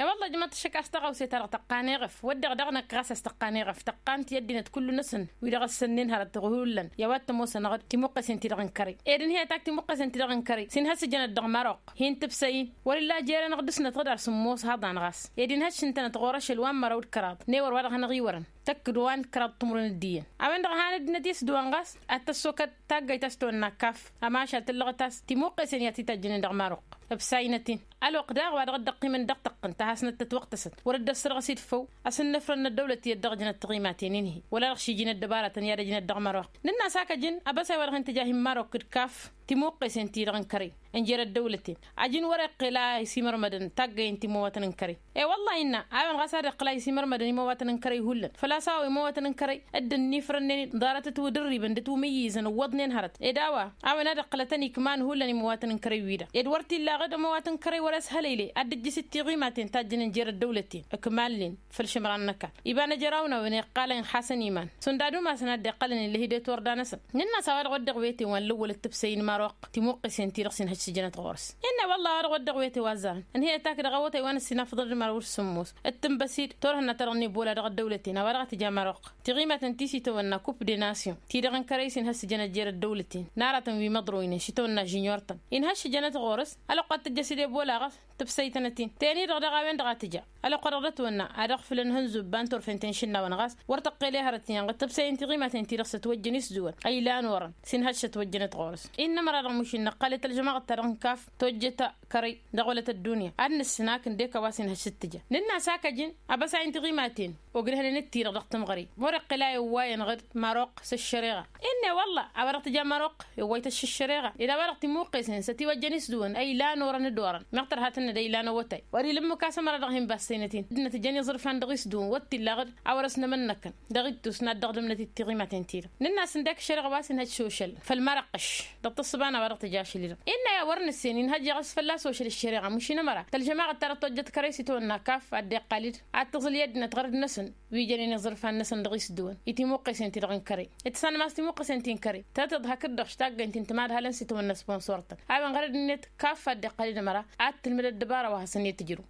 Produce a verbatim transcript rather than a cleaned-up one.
E-wălla ǝjmăḍ-t ăššăk a-s tăɣawse-ta-dăɣ tăqqan eɣăf wădden dăɣ-năkk ɣas a-s tăqqan eɣăf tăqqan-t i-ăddinăt kullu-năsăn wi-dăɣ ăssănnen hărăt hullan i-a-wa t-ămoosăn ăɣ-dd timuqqesen-ti-dăɣ n-kărăy. Ed ǝnhăyăt ak timuqqesen-ti-dăɣ n-kărăy s-inhăssǝjănăt dăɣ-maroq hin-tǝbsăy-in wăr-illa jer-anăɣ dăr-snăt ɣǝd ar sǝmmos haḍan ɣas ed inhăššǝntănăt ɣur-ašăl wa n-măraw d-kăraḍ n-ewăr wa dăɣ-hanăɣ-iwărăn tăkk d-wa n-kăraḍ timǝrwen d-iyyăn. A-wen-dăɣ han ăddinăt i-s d-wa n-ɣas ad-tăssokăd taggayt a-s tawănna kaf. A mašal tǝllăɣăt a-s timuqqesen i-ad-t-itajjǝnen dăɣ-maroq ǝbsayinăt-in. Ălwăqq daɣ wa dăɣ-dd-ăqqimăn dăɣ-tăqqǝnt a hasnăt tătwăqtăsăt wăr-dd-ăssărɣăs-dd făw. Asǝnnăfrănnăt dăwlăt iyyăt dăɣ-ǝjnăt tiɣimaten-in-hi wăla dăɣ-šijǝnăt dăbaratăn i-ad-ăjnăt dăɣ-măroq. Nǝnn'-as hak ăjǝn abăsay wa dăɣ-hin-tǝja hin-măroq d-kaf timuqqesen-ti-dăɣ n-kărăy ǝnjer ăddăwlăten. Ăjǝn wăr-iqqǝl a isimărmădăn taggăyen timăwatăn n-kărăy. E-wăllah innă a-wen ɣas ad-iqqǝl a isimărmădăn imăwatăn n-kărăy hullan făl-a-s a-wa imăwatăn n-kărăy dd-ănnifrănnen ḍarăt ătwǝdǝrribăn dd-ătwǝmǝyyǝzăn ǝwwăḍnen hărăt ed a-wa a-wen ad-iqqǝlătăn ikman hullan imăwatăn n-kărăy-wi-dăɣ ed wăr t-illa aɣǝd ămăwatăn n-kărăy wăr-ăshălăyle ad-dd-ǝjjǝs-dd tiɣimaten tajjǝnen jer-ăddăwlăten ǝkmalnen. Făll-išǝmran n-ăkall iba n-ejăraw n-a-wen iqqalăn xasăn iman šund ad-umasăn ad-dd-iqqălăn illa hi-dd-e-t wăr danăsăn. Nǝnn'-as a-wa dăɣ-wădden ɣwete wa n-lăwwăl d-tǝbsăy n-maroq timuqqesen-ti-dăɣ s-inhăj s-ǝjănăt ɣur-s. Innă wălla a-wa dăɣ-wădden ɣwete wa ǝzzarăn ǝnhăyăt ak dăɣ-awătay wa n-ǝssin afḍăl d-măraw d-sǝmmos d-tǝnbăsid turhǝnna ta dăɣ-nibbola dăɣ-ăddăwlăten a-wa dăɣ-tǝja maroq tiɣimaten ti s-itawănna kup de nasyon ti-dăɣ n-kărăy s-inhăj s-ǝjănăt jer-ăddăwlăten n-aratăn wi măḍroynen šitawănna žǝnyurtăn. Inhăj s-ǝjănăt ɣur-s ălwăqq ad-tǝjjăs-dd ebola ɣas tǝbsăytăn-ătin teni-dăɣ daɣ a-wen-dăɣ a tǝja. Ălwăqq-wa-dăɣ d-ătwănna ad-ăɣfǝlăn ihănzubba n-turfen ti n-išǝnnawăn ɣas wăr tăqqel i-hărăt iyyăn ɣǝd tǝbsăy n-tiɣimaten-ti-dăɣ s-ătwăjjăn isdǝwăn ăylan orăn s-inhăj s-ătwăjjăn d-ɣur-s. Innă ămăra dăɣ-mušǝnnăɣ qal i-tălžămaɣăt-ta-dăɣ n-kaf tojjăt kărăy dăɣ-wălăt ăddunya ad-nǝssǝn hak ǝndek a-wa s-inhăj s-ǝttǝjăn. Nǝnn'-as hak ăjǝn abăsay n-tiɣimaten ogdăhnen d-ti-dăɣ dăɣ-tǝmɣăre wăr-iqqǝl a iwwayăn ɣǝd maroq s-ăššăreɣa. Innă i-wălla a-wa dăɣ-tǝja maroq iwway-t ăššăreɣa ed a-wa dăɣ-timuqqesen s-ătiwăjjăn isdǝwăn ăylan orăn d-orăn meɣ tărha tǝnnăd ăylan awătay. Wăr-ila ǝmmǝk a-s ămăra dăɣ-hin-bassăynăt-in dd-năt ǝjăn iẓrǝfan dăɣ-isdǝwăn wăr t-illa ɣǝd a wăr-ăsnămănnăkăn dăɣ-ittus n-ad-dăɣ-dămnăt d-tiɣimaten-ti-dăɣ. Nǝnn'-as ǝndek ăššăreɣa wa s-inhăj s-ošăl făll-marăqqăš dăɣ-tǝssǝba n-a-wa dăɣ-tǝja ašăl-i-dăɣ. Innă i-a wăr nǝssen inhăj iɣăs fălla-s ošăl ăššăreɣa mušin ămăra tălžămaɣăt ta dăɣ-tojjăt kărăy s-itawănna kaf ad-dd-iqqal-dd ad-tǝẓǝl i-ăddinăt ɣărăt-năsăn wi jănen iẓrǝfan-năsăn dăɣ-isdǝwăn i-timuqqesen-ti-dăɣ n-kărăy. Ǝtsanăm a-s timuqqesen-ti n-kărăy tăt-iḍhăk-dd dăɣ-š taggăynt-in tǝmadhalăn s-itawănna sponsor-tăn a-wen ɣărăd-net kaf ad-dd-iqqal-dd ămăra ad-tǝlmǝd ăddăbara wa hasăn-i-tǝjrǝw.